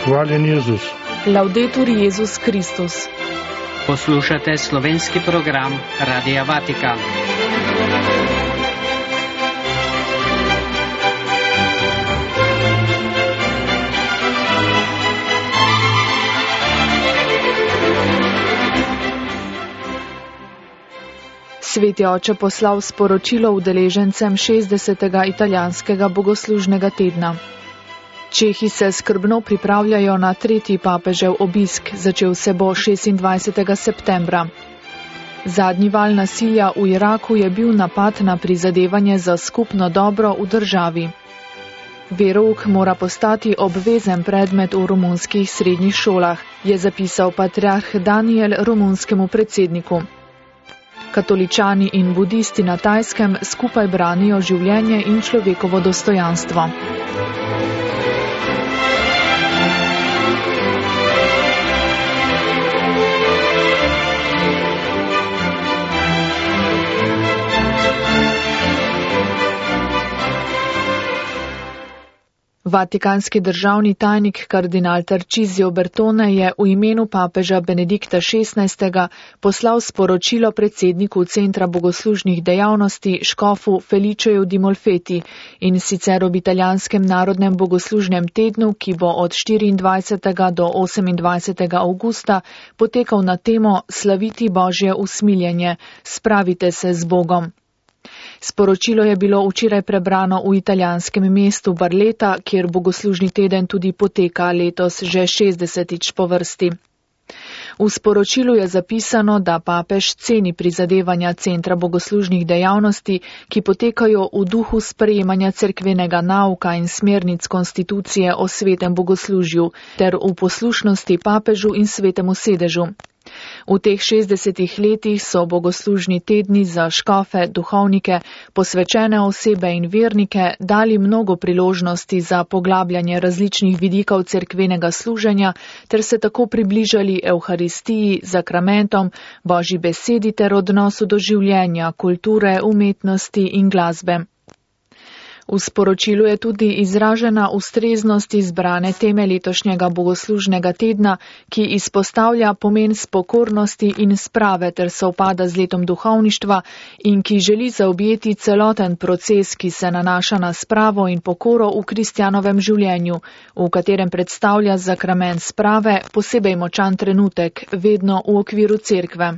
Hvaljen Jezus. Laudetur Jezus Kristus. Poslušate slovenski program Radia Vatikan. Sveti oče poslal sporočilo udeležencem 60. italijanskega bogoslužnega tedna. Čehi se skrbno pripravljajo na tretji papežev obisk, začel se bo 26. septembra. Zadnji val nasilja v Iraku je bil napad na prizadevanje za skupno dobro v državi. Verouk mora postati obvezen predmet v romunskih srednjih šolah, je zapisal patriarh Daniel romunskemu predsedniku. Katoličani in budisti na Tajskem skupaj branijo življenje in človekovo dostojanstvo. Vatikanski državni tajnik kardinal Tarcisio Bertone je v imenu papeža Benedikta XVI. Poslal sporočilo predsedniku Centra bogoslužnih dejavnosti škofu Feliceju Di Molfeti in sicer ob italijanskem narodnem bogoslužnem tednu, ki bo od 24. do 28. avgusta potekal na temo Slaviti Božje usmiljenje, spravite se z Bogom. Sporočilo je bilo včeraj prebrano v italijanskem mestu Barletta, kjer bogoslužni teden tudi poteka letos že 60. po vrsti. V sporočilu je zapisano, da papež ceni prizadevanja Centra bogoslužnih dejavnosti, ki potekajo v duhu sprejemanja cerkvenega nauka in smernic konstitucije o svetem bogoslužju ter v poslušnosti papežu in svetemu sedežu. V teh 60 letih so bogoslužni tedni za škofe, duhovnike, posvečene osebe in vernike dali mnogo priložnosti za poglabljanje različnih vidikov cerkvenega služenja ter se tako približali evharistiji, zakramentom, Božji besedi ter odnosu do življenja, kulture, umetnosti in glasbe. V sporočilu je tudi izražena ustreznost izbrane teme letošnjega bogoslužnega tedna, ki izpostavlja pomen spokornosti in sprave ter sovpada z letom duhovništva in ki želi zaobjeti celoten proces, ki se nanaša na spravo in pokoro v kristjanovem življenju, v katerem predstavlja zakrament sprave posebej močan trenutek, vedno v okviru cerkve.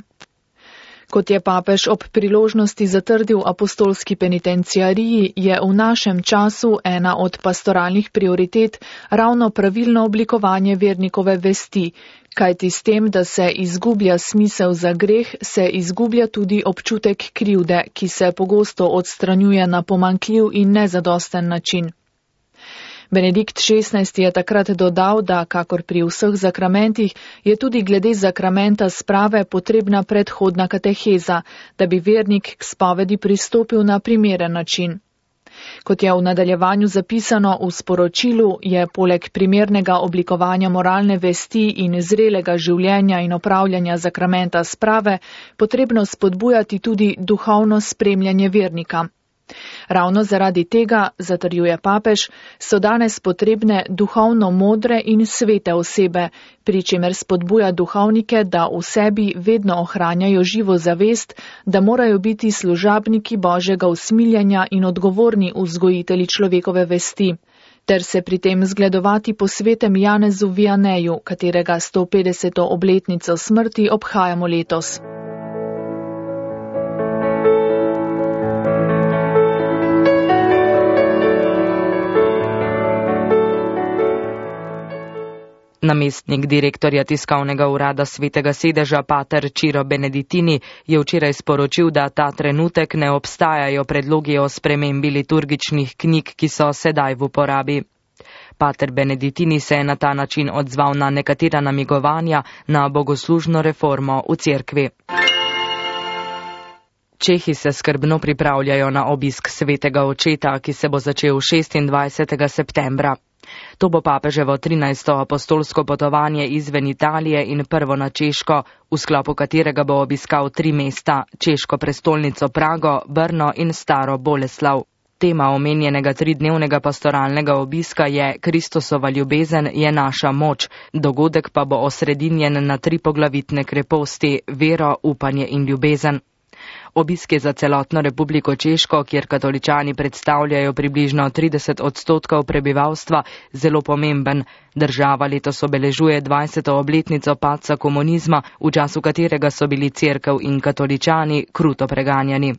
Kot je papež ob priložnosti zatrdil apostolski penitenciariji, je v našem času ena od pastoralnih prioritet ravno pravilno oblikovanje vernikove vesti, kajti s tem, da se izgublja smisel za greh, se izgublja tudi občutek krivde, ki se pogosto odstranjuje na pomanjkljiv in nezadosten način. Benedikt XVI. Je takrat dodal, da, kakor pri vseh zakramentih, je tudi glede zakramenta sprave potrebna predhodna kateheza, da bi vernik k spovedi pristopil na primeren način. Kot je v nadaljevanju zapisano v sporočilu, je poleg primernega oblikovanja moralne vesti in zrelega življenja in opravljanja zakramenta sprave potrebno spodbujati tudi duhovno spremljanje vernika. Ravno zaradi tega, zatrjuje papež, so danes potrebne duhovno modre in svete osebe, pri čemer spodbuja duhovnike, da v sebi vedno ohranjajo živo zavest, da morajo biti služabniki Božjega usmiljenja in odgovorni vzgojitelji človekove vesti, ter se pri tem zgledovati po svetem Janezu Vianeju, katerega 150. obletnico smrti obhajamo letos. Namestnik direktorja tiskovnega urada Svetega sedeža pater Ciro Beneditini je včeraj sporočil, da ta trenutek ne obstajajo predlogi o spremembi liturgičnih knjig, ki so sedaj v uporabi. Pater Beneditini se je na ta način odzval na nekatera namigovanja na bogoslužno reformo v cerkvi. Čehi se skrbno pripravljajo na obisk svetega očeta, ki se bo začel 26. septembra. To bo papeževo 13. apostolsko potovanje izven Italije in prvo na Češko, v sklopu katerega bo obiskal 3 mesta, češko prestolnico Prago, Brno in Staro Boleslav. Tema omenjenega 3-dnevnega pastoralnega obiska je Kristusova ljubezen je naša moč, dogodek pa bo osredinjen na 3 poglavitne kreposti: vero, upanje in ljubezen. Obisk je za celotno Republiko Češko, kjer katoličani predstavljajo približno 30% prebivalstva, zelo pomemben. Država letos obeležuje 20. obletnico padca komunizma, v času katerega so bili cerkev in katoličani kruto preganjani.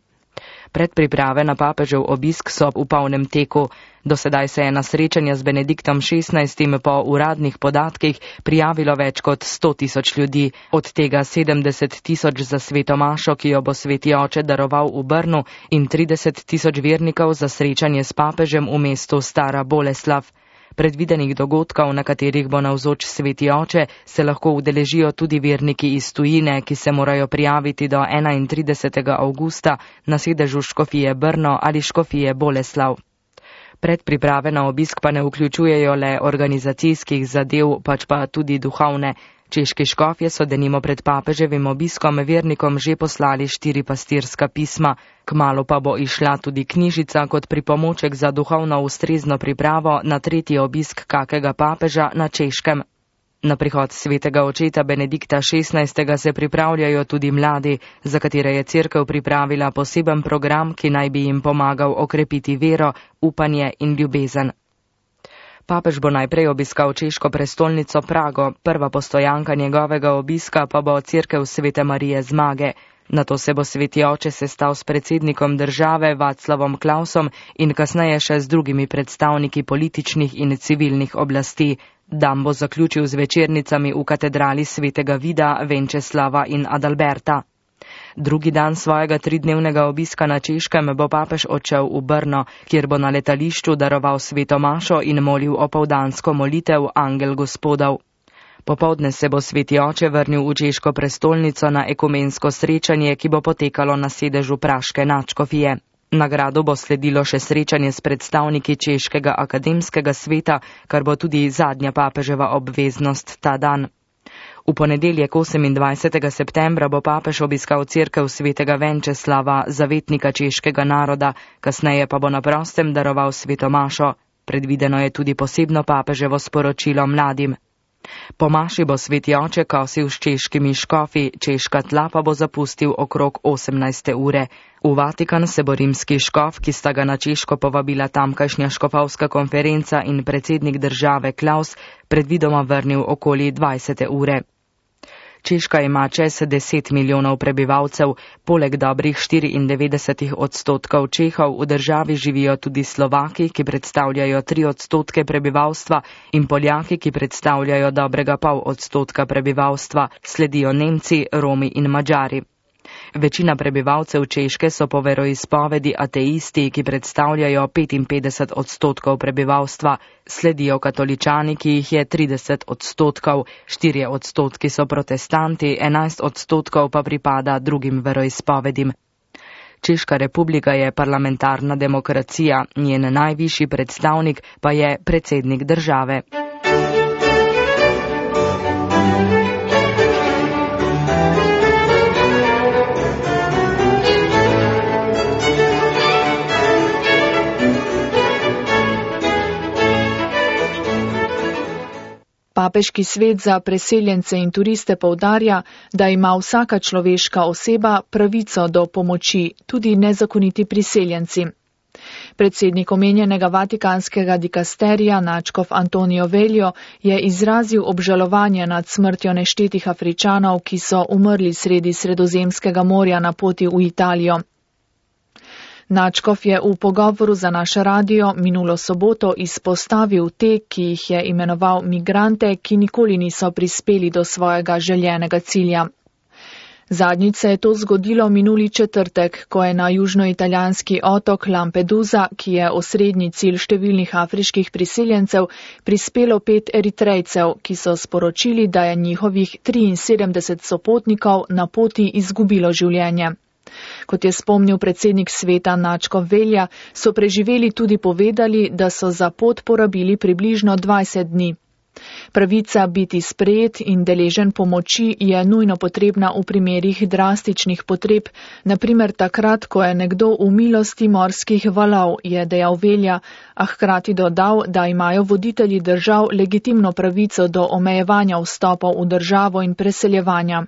Predpriprave na papežev obisk so v polnem teku. Do sedaj se je na srečanje z Benediktom XVI po uradnih podatkih prijavilo več kot 100.000 ljudi, od tega 70.000 za sveto mašo, ki jo bo sveti oče daroval v Brnu, in 30.000 vernikov za srečanje s papežem v mestu Stara Boleslav. Predvidenih dogodkov, na katerih bo navzoč sveti oče, se lahko udeležijo tudi verniki iz tujine, ki se morajo prijaviti do 31. avgusta na sedežu škofije Brno ali škofije Boleslav. Predpriprave na obisk pa ne vključujejo le organizacijskih zadev, pač pa tudi duhovne. Češki škofje so denimo pred papeževim obiskom vernikom že poslali 4 pastirska pisma. Kmalu pa bo išla tudi knjižica kot pripomoček za duhovno ustrezno pripravo na 3. obisk kakega papeža na Češkem. Na prihod svetega očeta Benedikta XVI. Se pripravljajo tudi mladi, za katere je cerkev pripravila poseben program, ki naj bi jim pomagal okrepiti vero, upanje in ljubezen. Papež bo najprej obiskal češko prestolnico Prago, prva postojanka njegovega obiska pa bo cerkev Svete Marije Zmage. Nato se bo sveti oče sestal s predsednikom države Václavom Klausom in kasneje še z drugimi predstavniki političnih in civilnih oblasti. Dan bo zaključil z večernicami v katedrali svetega Vida, Venčeslava in Adalberta. Drugi dan svojega 3-dnevnega obiska na Češkem bo papež odšel v Brno, kjer bo na letališču daroval sveto mašo in molil opoldansko molitev Angel Gospodov. Popoldne se bo sveti oče vrnil v češko prestolnico na ekumensko srečanje, ki bo potekalo na sedežu praške nadškofije. Na gradu bo sledilo še srečanje s predstavniki češkega akademskega sveta, kar bo tudi zadnja papeževa obveznost ta dan. V ponedeljek 28. septembra bo papež obiskal cerkev svetega Venčeslava, zavetnika češkega naroda, kasneje pa bo na prostem daroval sveto mašo. Predvideno je tudi posebno papeževo sporočilo mladim. Po maši bo sveti oče kosil s češkimi škofi, češka tla pa bo zapustil okrog 18. ure. V Vatikan se bo rimski škof, ki sta ga na Češko povabila tamkajšnja škofovska konferenca in predsednik države Klaus, predvidoma vrnil okoli 20. ure. Češka ima čez 10 milijonov prebivalcev, poleg dobrih 94% Čehov v državi živijo tudi Slovaki, ki predstavljajo 3% prebivalstva, in Poljaki, ki predstavljajo dobrega 0,5% prebivalstva, sledijo Nemci, Romi in Madžari. Večina prebivalcev Češke so po veroizpovedi ateisti, ki predstavljajo 55% prebivalstva, sledijo katoličani, ki jih je 30%, 4% so protestanti, 11% pa pripada drugim veroizpovedim. Češka republika je parlamentarna demokracija, njen najvišji predstavnik pa je predsednik države. Papeški svet za preseljence in turiste poudarja, da ima vsaka človeška oseba pravico do pomoči, tudi nezakoniti priseljenci. Predsednik omenjenega vatikanskega dikasterija nadškof Antonijo Veljo je izrazil obžalovanje nad smrtjo neštetih Afričanov, ki so umrli sredi Sredozemskega morja na poti v Italijo. Nadškof je v pogovoru za naš radio minulo soboto izpostavil te, ki jih je imenoval migrante, ki nikoli niso prispeli do svojega željenega cilja. Zadnjič se je to zgodilo minuli četrtek, ko je na južnoitalijanski otok Lampedusa, ki je osrednji cilj številnih afriških priseljencev, prispelo 5 Eritrejcev, ki so sporočili, da je njihovih 73 sopotnikov na poti izgubilo življenje. Kot je spomnil predsednik sveta nadškof Velja, so preživeli tudi povedali, da so za pot porabili približno 20 dni. Pravica biti sprejet in deležen pomoči je nujno potrebna v primerih drastičnih potreb, naprimer takrat, ko je nekdo v milosti morskih valov, je dejal Velja, a hkrati dodal, da imajo voditelji držav legitimno pravico do omejevanja vstopov v državo in preseljevanja.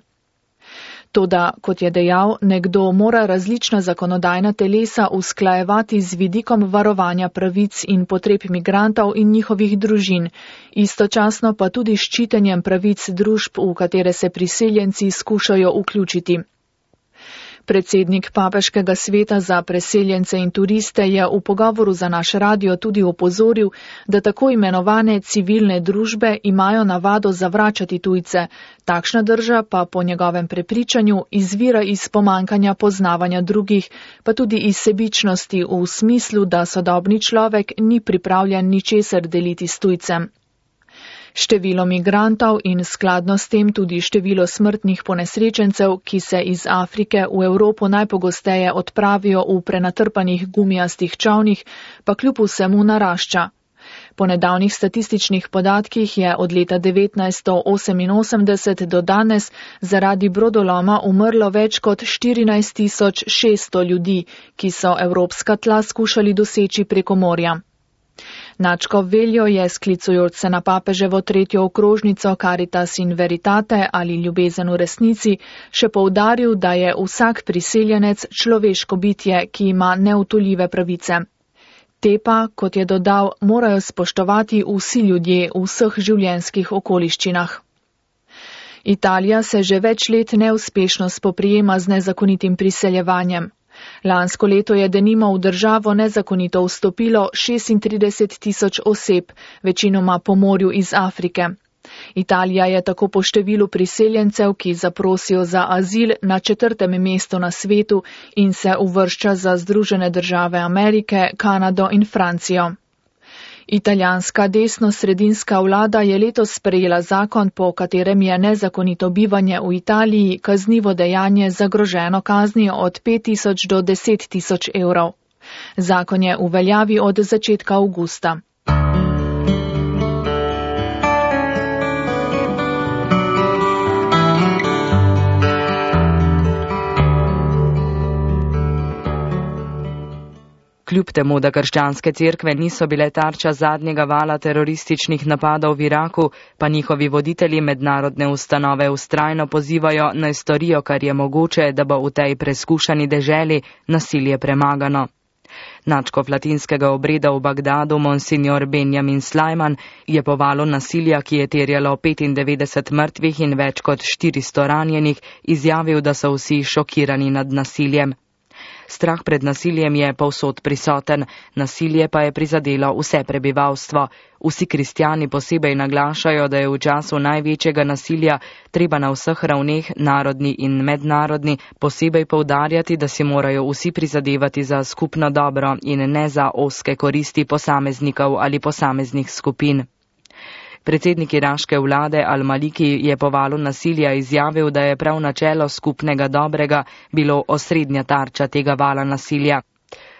Toda, kot je dejal, nekdo mora različna zakonodajna telesa usklajevati z vidikom varovanja pravic in potreb migrantov in njihovih družin, istočasno pa tudi s ščitenjem pravic družb, v katere se priseljenci skušajo vključiti. Predsednik Papeškega sveta za preseljence in turiste je v pogovoru za naš radio tudi opozoril, da tako imenovane civilne družbe imajo navado zavračati tujce, takšna drža pa po njegovem prepričanju izvira iz pomankanja poznavanja drugih, pa tudi iz sebičnosti v smislu, da sodobni človek ni pripravljen ničesar deliti s tujcem. Število migrantov in skladno s tem tudi število smrtnih ponesrečencev, ki se iz Afrike v Evropo najpogosteje odpravijo v prenatrpanih gumijastih čavnih, pa kljub vsemu narašča. Po nedavnih statističnih podatkih je od leta 1988 do danes zaradi brodoloma umrlo več kot 14.600 ljudi, ki so evropska tla skušali doseči preko morja. Načkov Veljo je, sklicujoč se na papeževo 3. okrožnico Caritas in Veritate ali ljubezen v resnici, še poudaril, da je vsak priseljenec človeško bitje, ki ima neutoljive pravice. Te pa, kot je dodal, morajo spoštovati vsi ljudje v vseh življenjskih okoliščinah. Italija se že več let neuspešno spoprijema z nezakonitim priseljevanjem. Lansko leto je denimo v državo nezakonito vstopilo 36.000 oseb, večinoma po morju iz Afrike. Italija je tako po številu priseljencev, ki zaprosijo za azil, na 4. mestu na svetu in se uvršča za Združene države Amerike, Kanado in Francijo. Italijanska desno-sredinska vlada je letos sprejela zakon, po katerem je nezakonito bivanje v Italiji kaznivo dejanje zagroženo kaznijo od 5.000 do 10.000 evrov. Zakon je v veljavi od začetka avgusta. Kljub temu, da krščanske cerkve niso bile tarča zadnjega vala terorističnih napadov v Iraku, pa njihovi voditelji mednarodne ustanove vztrajno pozivajo, naj storijo, kar je mogoče, da bo v tej preskušani deželi nasilje premagano. Nadškof latinskega obreda v Bagdadu, monsignor Benjamin Slajman, je po valu nasilja, ki je terjalo 95 mrtvih in več kot 400 ranjenih, izjavil, da so vsi šokirani nad nasiljem. Strah pred nasiljem je povsod prisoten, nasilje pa je prizadelo vse prebivalstvo. Vsi kristjani posebej naglašajo, da je v času največjega nasilja treba na vseh ravneh, narodni in mednarodni, posebej poudarjati, da si morajo vsi prizadevati za skupno dobro in ne za ozke koristi posameznikov ali posameznih skupin. Predsednik iraške vlade Al-Maliki je po valu nasilja izjavil, da je prav načelo skupnega dobrega bilo osrednja tarča tega vala nasilja.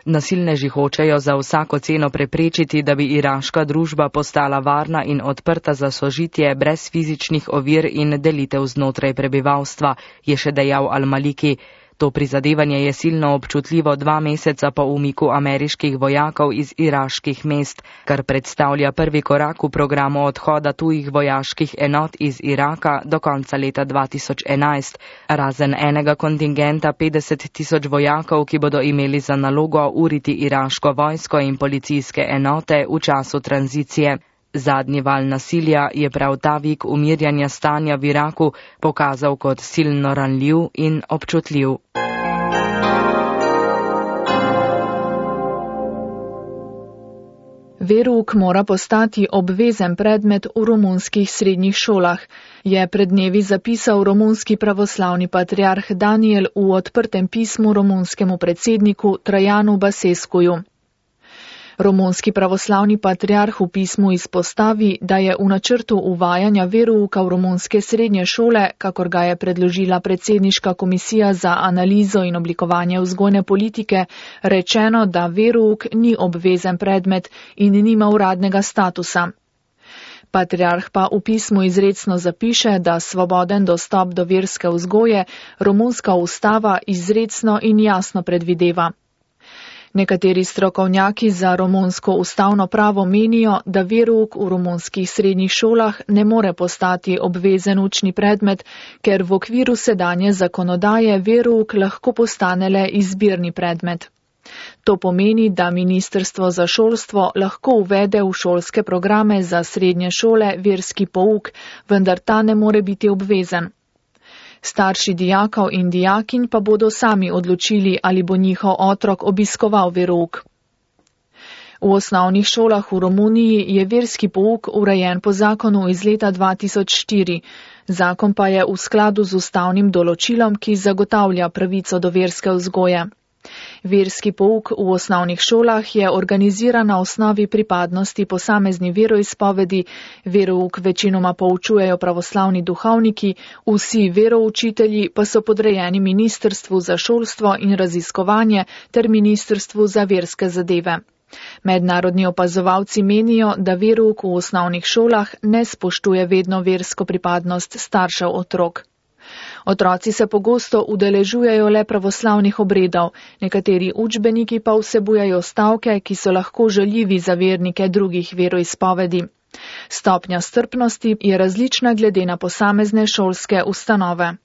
Nasilneži hočejo za vsako ceno preprečiti, da bi iraška družba postala varna in odprta za sožitje brez fizičnih ovir in delitev znotraj prebivalstva, je še dejal Al-Maliki. To prizadevanje je silno občutljivo 2 meseca po umiku ameriških vojakov iz iraških mest, kar predstavlja prvi korak v programu odhoda tujih vojaških enot iz Iraka do konca leta 2011, razen enega kontingenta 50.000 vojakov, ki bodo imeli za nalogo uriti iraško vojsko in policijske enote v času tranzicije. Zadnji val nasilja je prav ta vik umirjanja stanja v Iraku pokazal kot silno ranljiv in občutljiv. Verouk mora postati obvezen predmet v romunskih srednjih šolah, je pred dnevi zapisal romunski pravoslavni patriarh Daniel v odprtem pismu romunskemu predsedniku Trajanu Basescuju. Romunski pravoslavni patriarh v pismu izpostavi, da je v načrtu uvajanja verouka v romunske srednje šole, kakor ga je predložila predsedniška komisija za analizo in oblikovanje vzgojne politike, rečeno, da verouk ni obvezen predmet in nima uradnega statusa. Patriarh pa v pismu izrecno zapiše, da svoboden dostop do verske vzgoje romunska ustava izrecno in jasno predvideva. Nekateri strokovnjaki za romunsko ustavno pravo menijo, da verouk v romunskih srednjih šolah ne more postati obvezen učni predmet, ker v okviru sedanje zakonodaje verouk lahko postane le izbirni predmet. To pomeni, da Ministrstvo za šolstvo lahko uvede v šolske programe za srednje šole verski pouk, vendar ta ne more biti obvezen. Starši dijakov in dijakinj pa bodo sami odločili, ali bo njihov otrok obiskoval verouk. V osnovnih šolah v Romuniji je verski pouk urejen po zakonu iz leta 2004. Zakon pa je v skladu z ustavnim določilom, ki zagotavlja pravico do verske vzgoje. Verski pouk v osnovnih šolah je organiziran na osnovi pripadnosti posamezni veroizpovedi, verouk večinoma poučujejo pravoslavni duhovniki, vsi veroučitelji pa so podrejeni Ministrstvu za šolstvo in raziskovanje ter Ministrstvu za verske zadeve. Mednarodni opazovalci menijo, da verouk v osnovnih šolah ne spoštuje vedno versko pripadnost staršev otrok. Otroci se pogosto udeležujejo le pravoslavnih obredov, nekateri učbeniki pa vsebujejo stavke, ki so lahko žaljivi za vernike drugih veroizpovedi. Stopnja strpnosti je različna glede na posamezne šolske ustanove.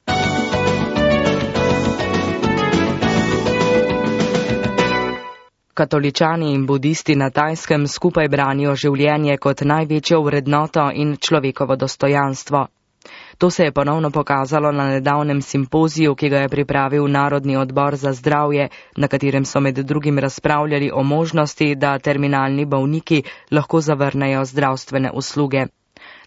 Katoličani in budisti na Tajskem skupaj branijo življenje kot največjo vrednoto in človekovo dostojanstvo. To se je ponovno pokazalo na nedavnem simpoziju, ki ga je pripravil Narodni odbor za zdravje, na katerem so med drugim razpravljali o možnosti, da terminalni bolniki lahko zavrnejo zdravstvene usluge.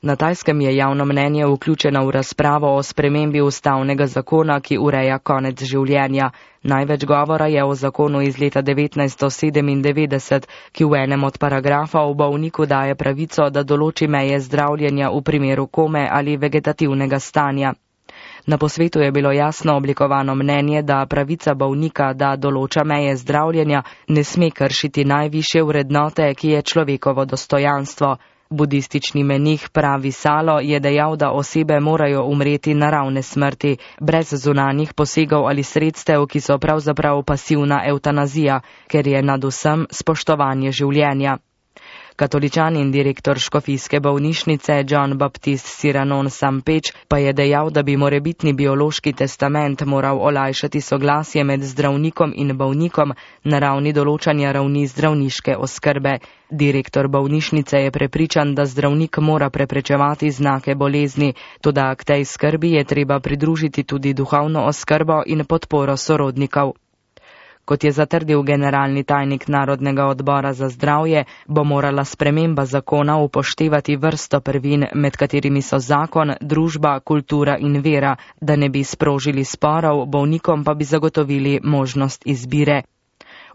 Na Tajskem je javno mnenje vključeno v razpravo o spremembi ustavnega zakona, ki ureja konec življenja. Največ govora je o zakonu iz leta 1997, ki v enem od paragrafov bolniku daje pravico, da določi meje zdravljenja v primeru kome ali vegetativnega stanja. Na posvetu je bilo jasno oblikovano mnenje, da pravica bolnika, da določa meje zdravljenja, ne sme kršiti najvišje vrednote, ki je človekovo dostojanstvo. Budistični menih Pravi Salo je dejal, da osebe morajo umreti naravne smrti, brez zunanjih posegov ali sredstev, ki so pravzaprav pasivna evtanazija, ker je nad vsem spoštovanje življenja. Katoličan in direktor škofijske bolnišnice John Baptist Ciranon Sampeč pa je dejal, da bi morebitni biološki testament moral olajšati soglasje med zdravnikom in bolnikom na ravni določanja ravni zdravniške oskrbe. Direktor bolnišnice je prepričan, da zdravnik mora preprečevati znake bolezni, toda k tej skrbi je treba pridružiti tudi duhovno oskrbo in podporo sorodnikov. Kot je zatrdil generalni tajnik Narodnega odbora za zdravje, bo morala sprememba zakona upoštevati vrsto prvin, med katerimi so zakon, družba, kultura in vera, da ne bi sprožili sporov, bolnikom pa bi zagotovili možnost izbire.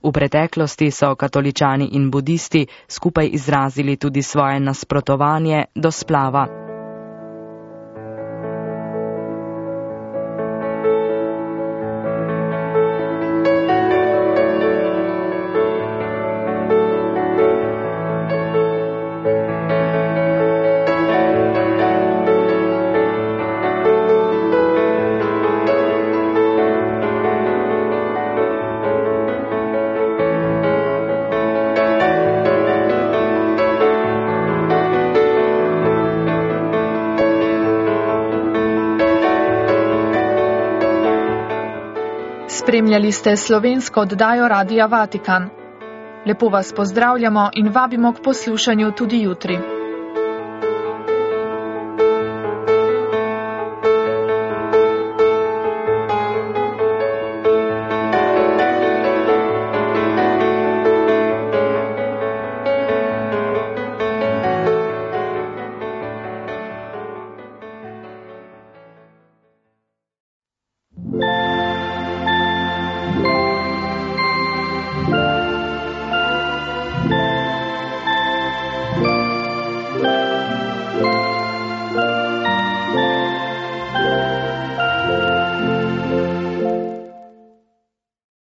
V preteklosti so katoličani in budisti skupaj izrazili tudi svoje nasprotovanje do splava. Spremljali ste slovensko oddajo Radia Vatikan. Lepo vas pozdravljamo in vabimo k poslušanju tudi jutri.